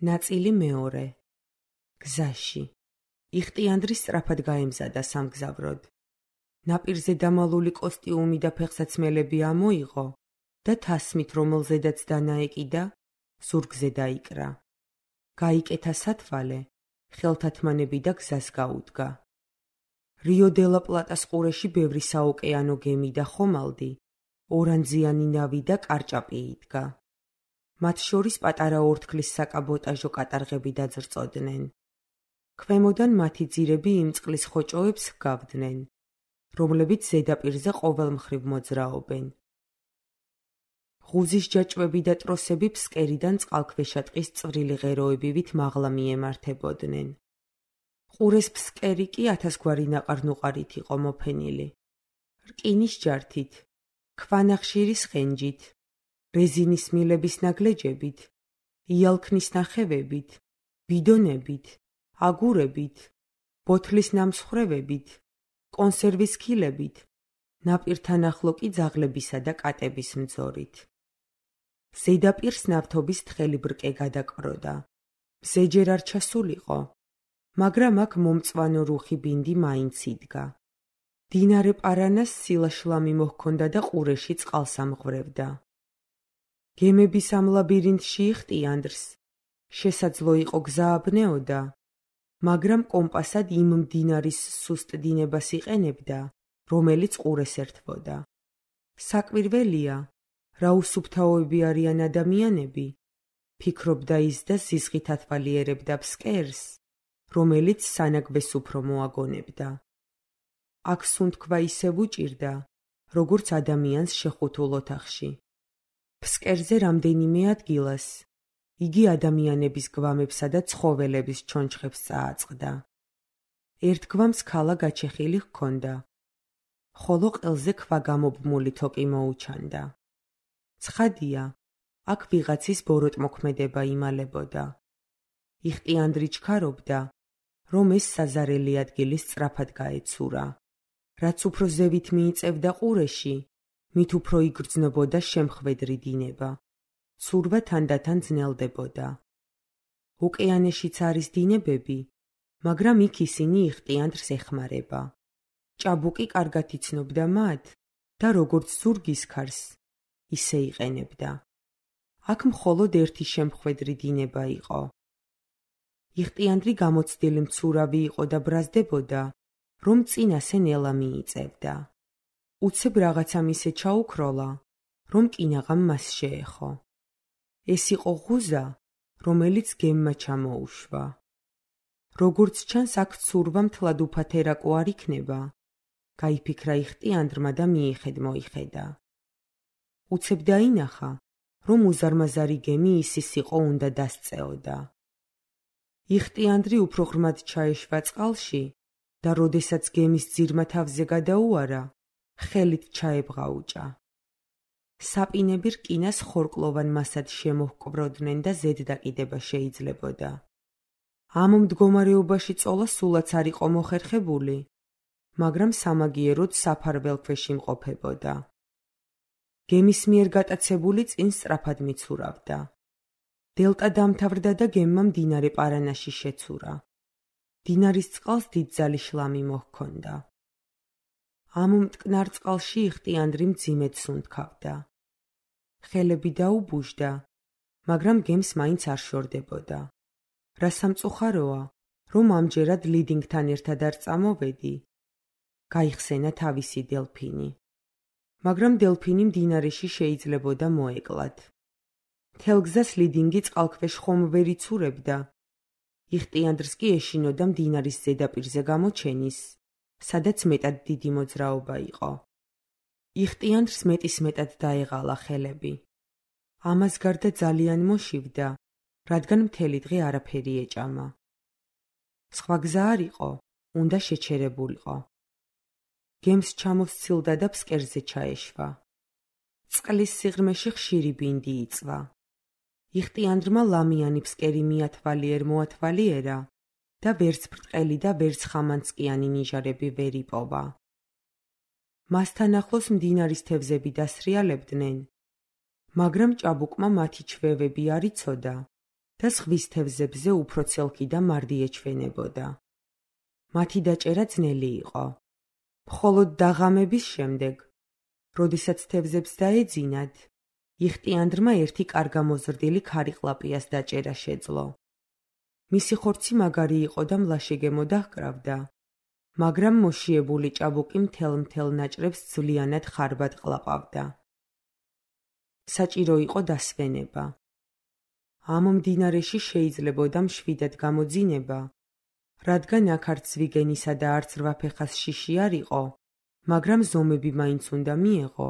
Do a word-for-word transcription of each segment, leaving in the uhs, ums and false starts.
ნაწილი მეორე. გზაში. იხტიანდრი სწრაფად გაემზადა სამგზავროდ. ნაპირზე დამალული კოსტიუმი და ფეხსაცმელები ამოიღო და თასმით, რომელზედაც დანაეკიდა, ზურგზე დაიკრა. გაიკეთა სათვალე, ხელთათმანები და გზას გაუდგა. რიო დე ლა პლატას ყურეში ბევრი საოკეანო გემი და ხომალდი, ორანძიანი ნავი და კარჭაპი იდგა. მათ შორის პატარა ორთქლის საკაბოტაჟო კატარღები დაძრწოდნენ. ქვემოდან მათი ძირები იმ წყლის ხოჭოებს ჰგავდნენ, რომლებიც ზედაპირზე ყოველ მხრივ მოძრაობენ. ღუზის ჯაჭვები და ტროსები ფსკერიდან წყალქვეშა ტყის წვრილი ღეროებივით მაღლა მიემართებოდნენ. ყურეს ფსკერი კი ათასგვარი ნაყარ-ნუყარით იყო მოფენილი. რკინის ჯართით, ქვანახშირის ხენჯით, რეზინის მილების ნაგლეჯებით, იალქნის ნახევებით, ბიდონებით, აგურებით, ბოთლის ნამსხვრევებით, კონსერვის ქილებით, ნაპირთან ახლო კი ძაღლებისა და კატების მძორით. ზედაპირს ნავთობის თხელი ბრკე გადაკროდა. მზეჯერ არ ჩასულიყო, მაგრამ აქ მომწვანო რუხი ბინდი მაინც იდგა. მდინარე პარანას სილაშლამი მოჰქონდა და ყურეში წყალს ამღვრევდა. გემების ამ ლაბირინთში იხტიანდრს შესაძლო იყო გზა აბნეოდა, მაგრამ კომპასად იმ მდინარის სუსტ დინებას იყენებდა, რომელიც ყურეს ერთვოდა. საკვირველია, რა უსუფთავოები არიან ადამიანები, ფიქრობდა ის და ზიზღით ათვალიერებდა ფსკერს, რომელიც სანაგვეს უფრო მოაგონებდა. აქ სუნთქვა ისევ უჭირდა, როგორც ადამიანს შეხუთულ ოთახში. ფსკერზე რამდენიმე ადგილას იგი ადამიანების გვამებსა და ცხოველების ჩონჩხებს წააწყდა. ერთ გვამს ქალა გაჩეხილი ჰქონდა, ხოლო ყელზე ქვა გამობმული თოკი მოუჩანდა. ცხადია, აქ ვიღაცის ბოროტმოქმედება იმალებოდა. იხტიანდრი ჩქარობდა, რომ ეს საზარელი ადგილი სწრაფად გაეცურა. რაც უფრო ზევით მიიწევდა ყურეში, მით უფრო იგრძნობოდა შემხვედრი დინება. ცურვა თანდათან ძნელდებოდა. ოკეანეშიც არის დინებები, მაგრამ იქ ისინი იხტიანდრს ეხმარება. ჭაბუკი კარგად იცნობდა მათ და როგორც ზურგის ქარს, ისე იყენებდა. აქ მხოლოდ ერთი შემხვედრი დინება იყო. იხტიანდრი გამოცდილი მცურავი იყო და ბრაზდებოდა, რომ წინასე ნელა მიიწევდა. უცებ რაღაცამ ისე ჩაუქროლა, რომ კინაღამ მას შეეხო. ეს იყო ღუზა, რომელიც გემმა ჩამოუშვა. როგორც ჩანს, აქ ცურვა მთლად უფათერაკო არ იქნება, გაიფიქრა იხტიანდრმა და მიიხედ-მოიხედა. უცებ დაინახა, რომ უზარმაზარი გემი ისის იყო უნდა დასწეოდა. იხტიანდრი უფრო ღრმად ჩაეშვა წყალში და როდესაც გემის ძირმა თავზე გადაუარა, ხელით ჩაებღაუჭა. საპინები რკინას ხორკლოვან მასად შემოჰკვროდნენ და ზედდაკიდება შეიძლებოდა. ამ მდგომარეობაში წოლა სულაც არ იყო მოხერხებული, მაგრამ სამაგიეროდ საფარველ ქვეშ იმყოფებოდა. გემის მიერ გატაცებული წინ სწრაფად მიცურავდა. დელტა დამთავრდა და გემმა მდინარე პარანაში შეცურა. მდინარის წყალს დიდძალი შლამი მოჰქონდა. ამ მტკნარ წყალში იხტიანდრი მძიმედ სუნთქავდა. ხელები დაუბუჟდა, მაგრამ გემს მაინც არ შორდებოდა. რა სამწუხაროა, რომ ამჯერად ლიდინგთან ერთად არ წამოვედი. გაიხსენა თავისი დელფინი. მაგრამ დელფინი მდინარეში შეიძლებოდა მოეკლათ. მთელ გზას ლიდინგი წყალქვეშ ხომ ვერ იცურებდა. იხტიანდრს კი ეშინოდა მდინარის ზედაპირზე გამოჩენის, სადაც მეტად დიდი მოძრაობა იყო. იხტიანდრს მეტისმეტად დაეღალა ხელები. ამას გარდა ძალიან მოშივდა, რადგან მთელი დღე არაფერი ეჭამა. სხვა გზა არ იყო, უნდა შეჩერებულიყო. გემს ჩამოსცილდა და ფსკერზე ჩაეშვა. წყლის სიღრმეში ხშირი ბინდი იწვა. იხტიანდრმა ლამიანი ფსკერი მიათვალიერ მოათვალიერა და ვერც ბრტყელი და ვერც ხამანწკიანი ნიჟარები ვერ იპოვა. მასთან ახლოს მდინარის თევზები დასრიალებდნენ, მაგრამ ჭაბუკმა მათი ჩვევები არ იცოდა და ზღვის თევზებზე უფრო ცელქი და მარდი ეჩვენებოდა. მათი დაჭერა ძნელი იყო. მხოლოდ დაღამების შემდეგ, როდესაც თევზებს დაეძინათ, იხტიანდრმა ერთი კარგამოზრდილი ქარიყლაპიას დაჭერა შეძლო. მისი ხორცი მაგარი იყო და მლაშეგემო დაჰკრავდა, მაგრამ მოშიებული ჭაბუკი მთელ-მთელ ნაჭრებს ძვლიანად ხარბად ყლაპავდა. საჭირო იყო დასვენება. ამ მდინარეში შეიძლებოდა მშვიდად გამოძინება, რადგან აქ არც ზვიგენისა და არც რვაფეხას შიში არ იყო, მაგრამ ზომები მაინც უნდა მიეღო,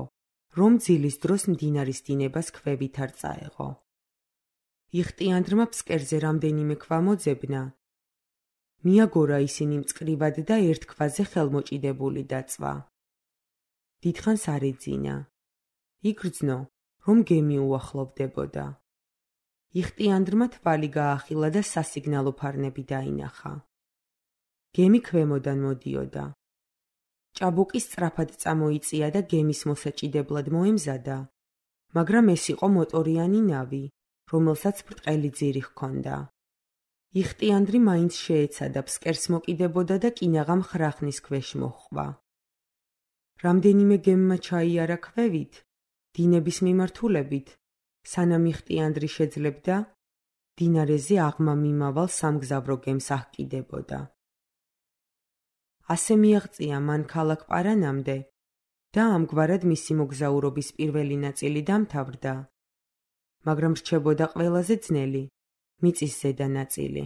რომ ძილის დროს მდინარის დინებას ქვევით არ წაეღო. იხტიანდრმა ფსკერზე რამდენიმე ქვა მოძებნა. მიაგორა ისინი მწკრივად და ერთ ქვაზე ხელმოჭიდებული დაწვა. დიდხანს არ ეძინა. იგრძნო, რომ გემი უახლოვდებოდა. იხტიანდრმა თვალი გაახილა და სასიგნალო ფარნები დაინახა. გემი ქვემოდან მოდიოდა. ჭაბუკი სწრაფად წამოიწია და გემის მოსაჭიდებლად მოემზადა, მაგრამ ეს იყო მოტორიანი ნავი, რომელსაც ბრტყელი ძირი ჰქონდა. იხტიანდრი მაინც შეეცადა ფსკერს მოკიდებოდა და კინაღამ ხრახნის ქვეშ მოჰყვა. რამდენიმე გემმა ჩაიარა ქვევით, დინების მიმართულებით, სანამ იხტიანდრი შეძლებდა, დინარეზე აღმა მიმავალ სამგზავრო გემს აჰკიდებოდა. ასე მიაღწია მან ქალაქ პარანამდე და ამგვარად მისი მოგზაურობის პირველი ნაწილი დამთავრდა, მაგრამ რჩებოდა ყველაზე ძნელი, მიწის ზედა ნაწილი.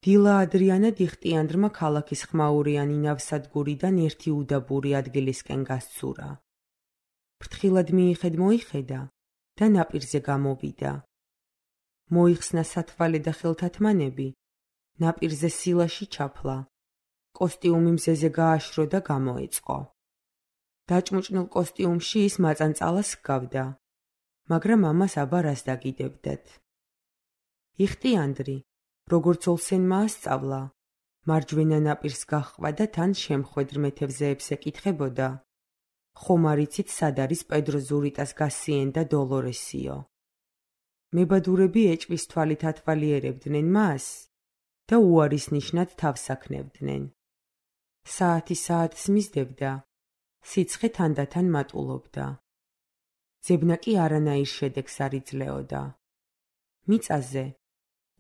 დილა ადრიანად იხტიანდრმა ქალაქის ხმაურიანი ნავსადგურიდან ერთი უდაბური ადგილისკენ გასცურა. ფრთხილად მიიხედ-მოიხედა და ნაპირზე გამოვიდა. მოიხსნა სათვალე და ხელთათმანები, ნაპირზე სილაში ჩაფლა, კოსტიუმი მზეზე გააშრო და გამოეწყო. დაჭმუჭნილ კოსტიუმში ის მაწანწალას ჰგავდა, მაგრამ ამას აბა რას დაგიდებდათ. იხტიანდრი, როგორც ოლსენმა ასწავლა, მარჯვენა ნაპირს გაჰყვა და თან შემხვედრ მეთევზეებს ეკითხებოდა, ხომ არ იცით სად არის პედრო ზურიტას გასიენ და დოლორესიო. მებადურები ეჭვის თვალით ათვალიერებდნენ მას და უარის ნიშნად თავს აქნევდნენ. საათი საათს მისდევდა, სიცხე თანდათან მატულობდა. ძებნა კი არანაირ შედეგს არ იძლეოდა. მიწაზე,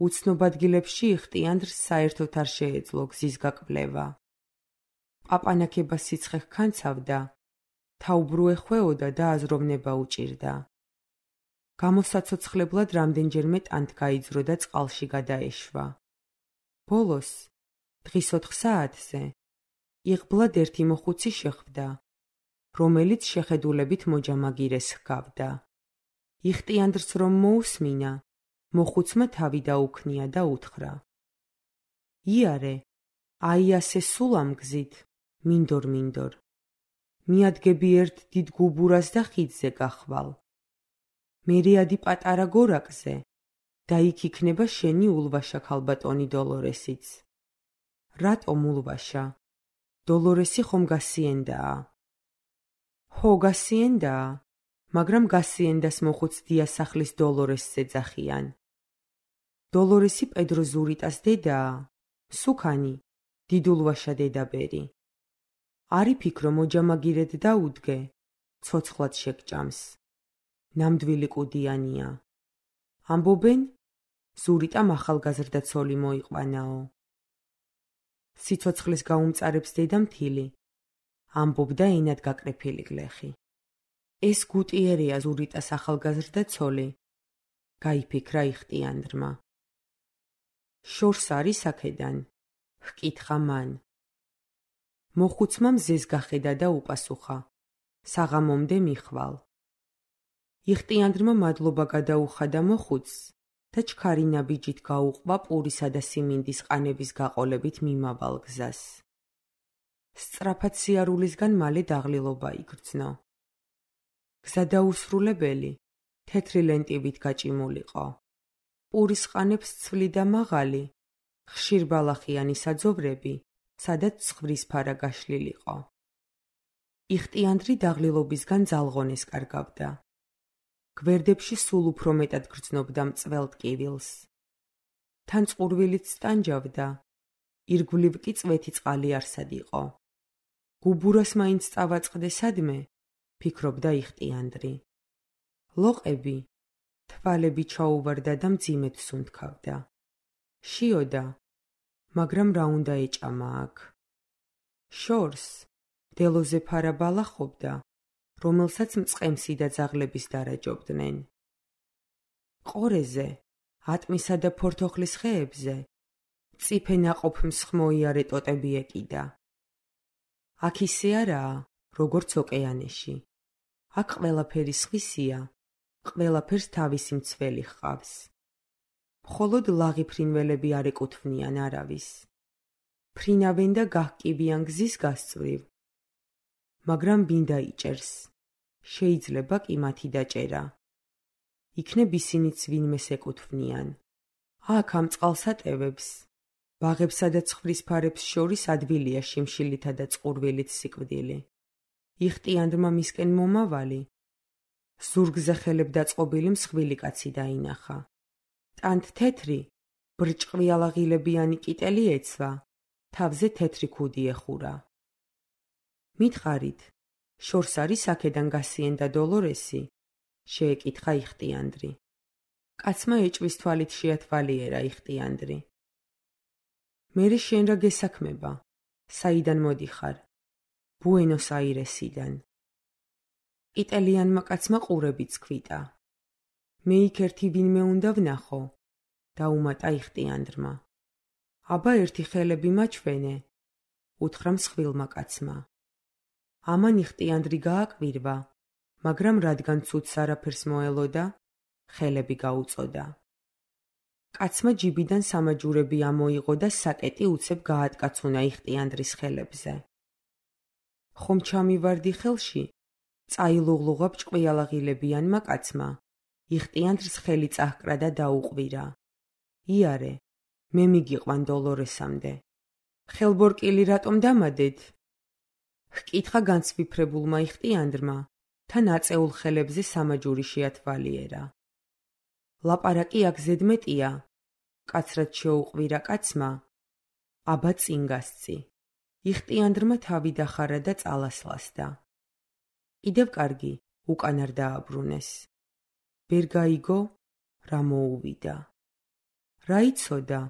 უცნობ ადგილებში იხტიანდრს საერთოდ არ შეეძლო გზის გაკვლევა. პაპანაკება სიცხე ჰქანცავდა, თაუბრუ ეხვეოდა და აზროვნება უჭირდა. გამოსაცოცხლებლად რამდენჯერმე ტანთ გაიძრო და წყალში გადაეშვა. ბოლოს, დღის ოთხ საათზე, იღბლად ერთი მოხუცი შეხვდა, რომელიც შეხედულებით მოჯამაგირეს ჰგავდა. იხტიანდრს რომ მოусმინა, მოხუცმა თავი დაუქნია და უთხრა: იარე, აი ასე სულ ამ გზით, მინდორ-მინდორ. მიადგები ერთ დიდ გუბურას და ხიდზე გახვალ. მერე ადი პატარა გორაკზე და იქ იქნება შენი ულვაშა ქალბატონი დოლორესიც. რატომ ულვაშა? დოლორესი ხომ გასიენდაა? ხო, გასიენდაა, მაგრამ გასიენდას მოხუც დიასახლის დოლორესს ეძახიან. დოლორესი პედრო ზურიტას დედაა, სუქანი, დიდულვაშა დედაბერი. არი ფიქრო მოჯამაგირედ დაუდგე, ცოცხლად შეგჭამს. ნამდვილი კუდიანია. ამბობენ, ზურიტამ ახალგაზრდა ცოლი მოიყვანაო. სიცოცხლის გაუმწარებს დედამთილი, ამბობდა ენად გაკრეფილი გლეხი. ეს გუტიერია ზურიტას ახალგაზრდა ცოლი, გაიფიქრა იხტიანდრმა. შორს არის აქედან, ჰკითხა მან. მოხუცმა მზეს გახედა და უპასუხა, საღამომდე მიხვალ. იხტიანდრმა მადლობა გადაუხადა მოხუცს და ჩქარი ნაბიჯით გაუყვა პურისა და სიმინდის ყანების გაყოლებით მიმავალ გზას. სწრაფად სიარულისგან მალე დაღლილობა იგრძნო. გზა დაუსრულებელი, თეთრი ლენტივით გაჭიმულიყო. პურის ყანებს ცვლიდა მაღალი, ხშირ ბალახიანი საძოვრები, სადაც ცხვრის ფარა გაშლილიყო. იხტიანდრი დაღლილობისგან ძალღონეს კარგავდა. გვერდებში სულ უფრო მეტად გრძნობდა მწველ ტკივილს. თან წყურვილიც სტანჯავდა, ირგვლივ კი წვეთი წყალი არსად იყო. გუბურას მაინც წავაწყდე სადმე, ფიქრობდა იხტიანდრი. ლოყები, თვალები ჩაუვარდა და მძიმედ სუნთქავდა. შიოდა, მაგრამ რა უნდა ეჭამა აქ? შორს, დელოზე ფარა ბალახობდა, რომელსაც მწყემსი და ძაღლების დარაჯობდნენ. ყორეზე, ატმისა და ფორთოხლის ხეებზე, მწიფე ნაყოფ მსხმოიარე ტოტები ეკიდა. აქ ისე არაა, როგორც ოკეანეში. აქ ყველაფერი სხვისია, ყველაფერს თავისი მცველი ჰყავს. მხოლოდ ლაღი ფრინველები არ ეკუთვნიან არავის. ფრინავენ და გაჰკივიან გზის გასწვრივ. მაგრამ ვინ დაიჭერს? შეიძლება კი მათი დაჭერა. იქნებ ისინიც ვინმეს ეკუთვნიან. აქ ამ წყალსატევებს, ბაღებსა და ცხვრის ფარებს შორის ადვილია შიმშილითა და წყურვილით სიკვდილი. იხტიანდრმა მისკენ მომავალი, ზურგზე ხელებ დაწყობილი მსხვილი კაცი დაინახა. ტანთ თეთრი, ბრჭყვიალაღილებიანი კიტელი ეცვა, თავზე თეთრი ქუდი ეხურა. მითხარით, შორს არის აქედან გასიენდა დოლორესი? შეეკითხა იხტიანდრი. კაცმა ეჭვის თვალით შეათვალიერა იხტიანდრი. მერე შენ რა გესაქმება? საიდან მოდიხარ? ბუენოს-აირესიდან. კიტელიანმა კაცმა ყურებიც ქვიტა. მე იქ ერთი ვინმე უნდა ვნახო, დაუმატა იხტიანდრმა. აბა ერთი ხელები მაჩვენე, უთხრა მსხვილმა კაცმა. ამან იხტიანდრი გააკვირვა, მაგრამ რადგან ცუდს არაფერს მოელოდა, ხელები გაუწოდა. კაცმა ჯიბიდან სამაჯურები ამოიღო და საკეტი უცებ გაატკაცუნა იხტიანდრის ხელებზე. ხომ ჩამივარდი ხელში? წაილუღლუღა ბრჭყვიალაღილებიანმა კაცმა. იხტიანდრს ხელი წაჰკრა და დაუყვირა. იარე, მე მიგიყვან დოლორესამდე. ხელბორკილი რატომ დამადეთ? ჰკითხა განსვიფრებულმა იხტიანდრმა, თან აწეულ ხელებზე სამაჯური შეათვალიერა. ლაპარაკი აქ ზედმეტია, კაცრად შეუყვირა კაცმა. აბა წინ გასცი. იხტიანდრმა თავი დახარა და წალასლასდა. კიდევ კარგი, უკან არ დააბრუნეს. ვერ გაიგო, რა მოუვიდა. რა იცოდა,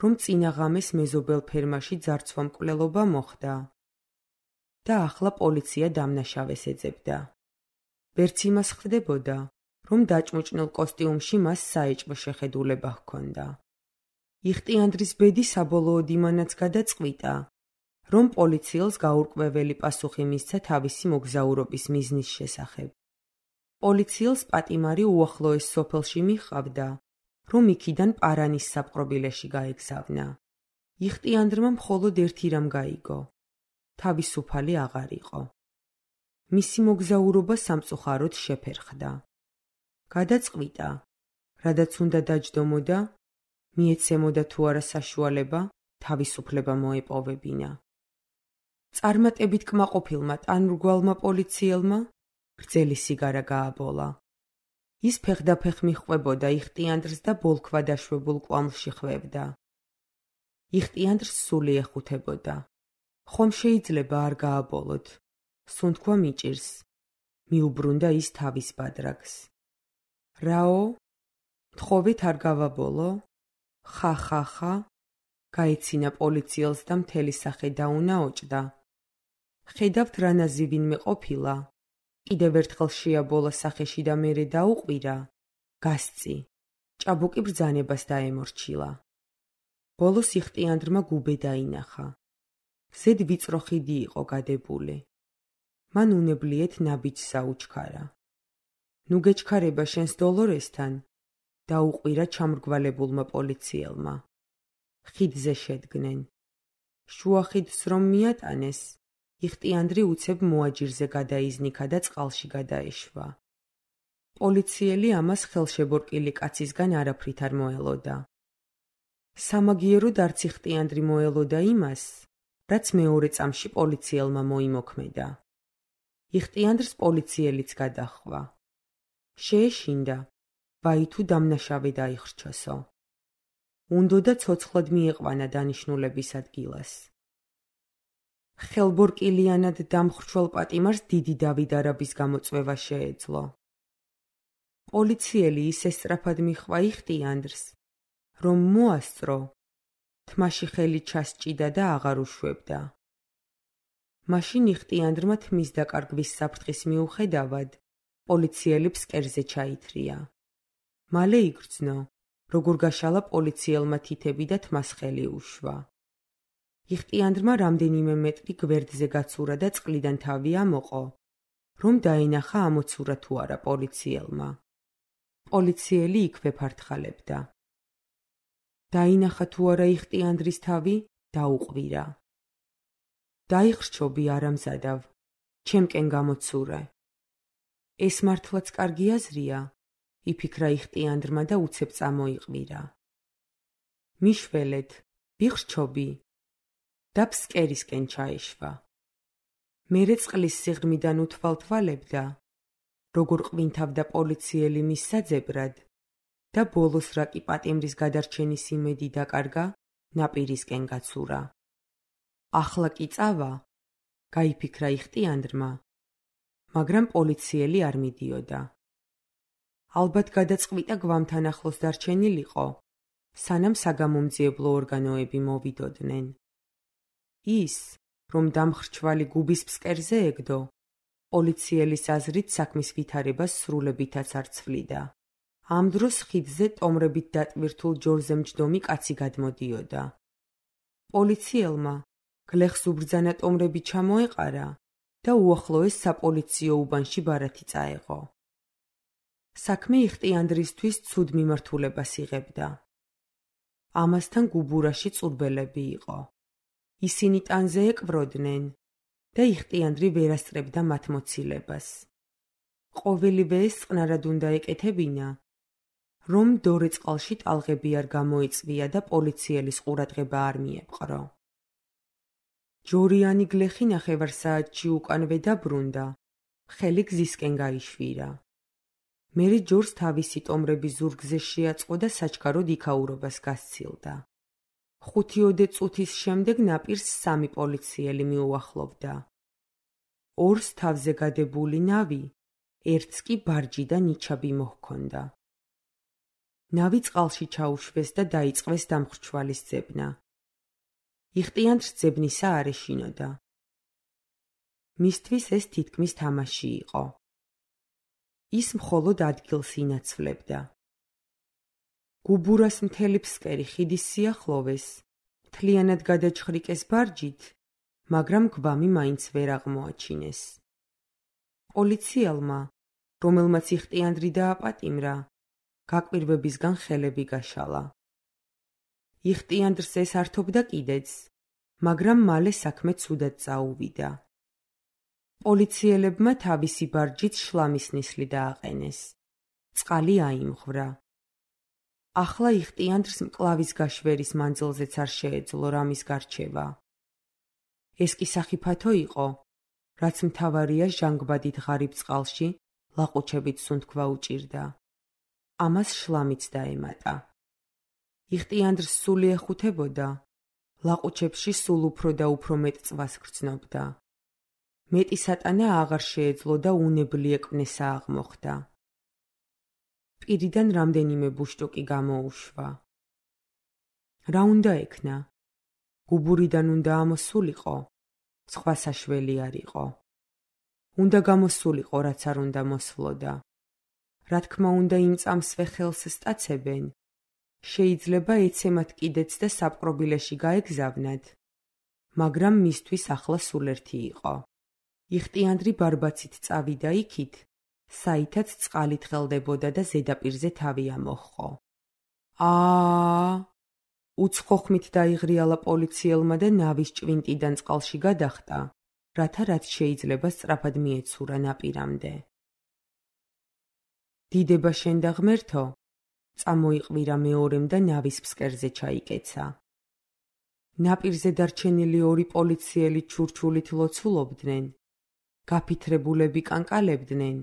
რომ წინა ღამეს მეზობელ ფერმაში ძარცვა-მკვლელობა მოხდა და ახლა პოლიცია დამნაშავეს ეძებდა. ვერც იმას ხვდებოდა, რომ დაჭმუჭნელ კოსტიუმში მას საეჭვო შეხედულება ჰქონდა. იხტიანდრის ბედი საბოლოოდ იმანაც გადაწყვიტა, რომ პოლიციელს გაურკვეველი პასუხი მისცა თავისი მოგზაურობის მიზნის შესახებ. პოლიციელს პატიმარი უახლოეს სოფელში მიჰყავდა, რომ იქიდან პარანის საპყრობილეში გაეგზავნა. იხტიანდრმა მხოლოდ ერთი რამ გაიგო. თავისუფალი აღარ იყო. მისი მოგზაურობა სამწუხაროდ შეფერხდა. გადაწყვიტა, რადაც უნდა დაჯდომოდა, მიეცემოდა თუ არა საშუალება, თავისუფლება მოეპოვებინა. წარმატებით კმაყოფილმა ტანმრგვალმა პოლიციელმა გრძელი სიგარა გააბოლა. ის ფეხდაფეხ მიჰყვებოდა იხტიანდრს და ბოლქვა დაშვებულ კვამლში ხვევდა. იხტიანდრს სული ეხუთებოდა. ხომ შეიძლება არ გააბოლოთ? სუნთქვა მიჭირს. მიუბრუნდა ის თავის ბადრაგს. რაო? თხოვეთ არ გავაბოლო? ხა ხა ხა? გაეცინა პოლიციელს და მთელი სახე დაუნაოჭდა. ხედავთ რანაზი ვინმე ყოფილა. კიდევ ერთხელ შეაბოლა სახეში და მერე დაუყვირა. გასწი. ჭაბუკი ბრძანებას დაემორჩილა. ბოლოს იხტიანდრმა გუბე დაინახა. ზედ ვიწრო ხიდი იყო გადებული. მან უნებლიეთ ნაბიჯსა უჩქარა. ნუ გეჩქარება შენს დოლორესთან, დაუყვირა ჩამრგვალებულმა პოლიციელმა. ხიდზე შედგნენ. შუა ხიდს რომ მიატანეს, იხტიანდრი უცებ მოაჯირზე გადაიზნიქა და წყალში გადაეშვა. პოლიციელი ამას ხელშებორკილი კაცისგან არაფრით არ მოელოდა. სამაგიეროდ არც იხტიანდრი მოელოდა იმას, რაც მეორე წამში პოლიციელმა მოიმოქმედა. იხტიანდრს პოლიციელიც გადაჰყვა. შეეშინდა, ვაი თუ დამნაშავე დაიხრჩოსო. უნდოდა ცოცხლად მიიყვანა დანიშნულების ადგილას. ხელბორკილიანად დამხრჩველ პატიმარს დიდი დავით არაბის გამოწვევა შეეძლო. პოლიციელი ისე სწრაფად მიჰყვა იხტიანდრს, რომ მოასწრო, თმაში ხელი ჩასჭიდა და აღარ უშვებდა. მაშინ იხტიანდრმა თმის დაკარგვის საფრთხის მიუხედავად, პოლიციელი ფსკერზე ჩაითრია. მალე იგრძნო, როგორ გაშალა პოლიციელმა თითები და თმას ხელი უშვა. იხტიანდრმა რამდენიმე მეტრი გვერდზე გაცურა და წყლიდან თავი ამოყო, რომ დაენახა ამოცურა თუ არა პოლიციელმა. პოლიციელი იქვე ფართხალებდა. დაინახა თუ არა იხტიანდრის თავი, დაუყვირა. დაიხრჩობი არამზადავ, ჩემკენ გამოცურე. ეს მართლაც კარგი აზრია, იფიქრა იხტიანდრმა და უცებ წამოიყვირა. მიშველეთ, ვიხრჩობი და ფსკერისკენ ჩაეშვა. მერე წყლის სიღრმიდან უთვალთვალებდა, როგორ ყვინთავდა პოლიციელი მის საძებრად და ბოლოს რა კი პატიმრის გადარჩენის იმედი დაკარგა, ნაპირისკენ გაცურა. ახლა კი წავა, გაიფიქრა იხტიანდრმა, მაგრამ პოლიციელი არ მიდიოდა. ალბათ გადაწყვიტა გვამთან ახლოს დარჩენილიყო, სანამ საგამომძიებლო ორგანოები მოვიდოდნენ. ის, რომ დამხრჩვალი გუბის ფსკერზე ეგდო, პოლიციელის აზრით საქმის ვითარებას სრულებითაც არ ცვლიდა. ამ დროს ხიდზე ტომრებით დატვირთულ ჯორზე მჯდომი კაცი გადმოდიოდა. პოლიციელმა გლეხს უბრძანა ტომრები ჩამოეყარა და უახლოეს საპოლიციო უბანში ბარათი წაეღო. საქმე იხტიანდრისთვის ცუდ მიმართულებას იღებდა. ამასთან გუბურაში წურბელები იყო. ისინი ტანზე ეკვროდნენ და იხტიანდრი ვერ ასწრებდა მათ მოცილებას. ყოველივე ეს წყნარად უნდა ეკეთებინა, რომ დორე წყალში ტალღები არ გამოიწვია და პოლიციელის ყურადღება არ მიეპყრო. ჯორიანი გლეხი ნახევარსაათში უკანვე დაბრუნდა, ხელი გზისკენ გაიშვირა. მერე ჯორს თავისი ტომრები ზურგზე შეაწყო და საჩქაროდ იქაურობას გასცილდა. ხუთიოდე წუთის შემდეგ ნაპირს სამი პოლიციელი მიუახლოვდა. ორს თავზე გადებული ნავი, ერთს კი ბარჯი და ნიჩაბი მოჰქონდა. ნავი წყალში ჩაუშვეს და დაიწყეს დამხრჩვალის ძებნა. იხტიანდრს ძებნისა არ ეშინოდა. მისთვის ეს თითქმის თამაში იყო. ის მხოლოდ ადგილს ინაცვლებდა. გუბურას მთელი ფსკერი ხიდის სიახლოვეს, მთლიანად გადაჩხრიკეს ბარჯით, მაგრამ გვამი მაინც ვერ აღმოაჩინეს. პოლიციელმა, რომელმაც იხტიანდრი დააპატიმრა, გაკვირვებისგან ხელები გაშალა. იხტიანდრს ეს ართობდა კიდეც, მაგრამ მალე საქმე ცუდად წაუვიდა. პოლიციელებმა თავისი ბარჯით შლამის ნისლი დააყენეს. წყალი აიმღვრა. ახლა იხტიანდრს მკლავის გაშვერის მანძილზეც არ შეეძლო რამის გარჩევა. ეს კი სახიფათო იყო, რაც მთავარია ჟანგბადით ღარიბ წყალში ლაყუჩებით სუნთქვა უჭირდა. ამას შლამიც დაემატა. იხტიანდრს სული ეხუთებოდა, ლაყუჩებში სულ უფრო და უფრო მეტ წვას გრძნობდა. მეტი სატანა აღარ შეეძლო და უნებლი ეკვნესა აღმოხდა. პირიდან რამდენიმე ბუშტუკი გამოუშვა. რა უნდა ექნა? გუბურიდან უნდა ამოსულიყო, სხვა საშველი არ იყო. უნდა გამოსულიყო, რაც არ უნდა მოსვლოდა. რა თქმა უნდა იმ წამსვე ხელს სტაცებენ. შეიძლება ეცემათ კიდეც და საპყრობილეში გაეგზავნათ, მაგრამ მისთვის ახლა სულ ერთი იყო. იხტიანდრი ბარბაცით წავიდა იქით, საითაც წყალით ხელდებოდა და ზედაპირზე თავი ამოჰყო. აა! უცხო ხმით დაიღრიალა პოლიციელმა და ნავის ჭვინტიდან წყალში გადახტა, რათა რაც შეიძლება სწრაფად მიეცურა ნაპირამდე. დიდება შენ და ღმერთო, წამოიყვირა მეორემ და ნავის ფსკერზე ჩაიკეცა. ნაპირზე დარჩენილი ორი პოლიციელი ჩურჩულით ლოცულობდნენ, გაფითრებულები კანკალებდნენ,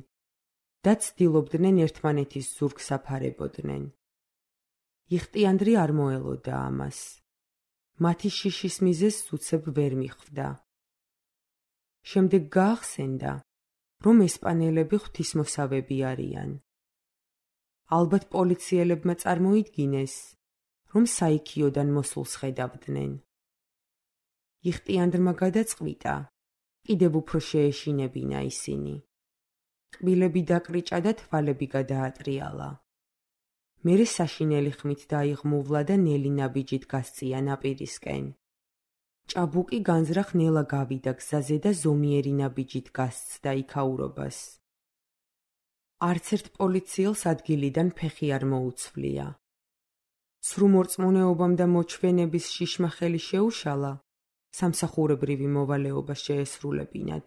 და ცდილობდნენ ერთმანეთის ზურგს აფარებოდნენ. იხტიანდრი არ მოელოდა ამას. მათი შიშის მიზეზს უცებ ვერ მიხვდა. შემდეგ გაახსენდა, რომ ესპანელები ღვთისმოსავები არიან. ალბათ პოლიციელებმა წარმოიდგინეს, რომ საიქიოდან მოსულს ხედავდნენ. იხტიანდრმა გადაწყვიტა, კიდევ უფრო შეეშინებინა ისინი. კბილები დაკრიჭა და თვალები გადაატრიალა. მერე საშინელი ხმით დაიღმუვლა და ნელი ნაბიჯით გასწია ნაპირისკენ. ჭაბუკი განზრახ ნელა გავიდა გზაზე და ზომიერი ნაბიჯით გასცდა იქაურობას. არც ერთ პოლიციელს ადგილიდან ფეხი არ მოუცვლია. სრუ მორწმუნეობამ და მოჩვენების შიშმა ხელი შეუშალა, სამსახურებრივი მოვალეობა შეესრულებინათ.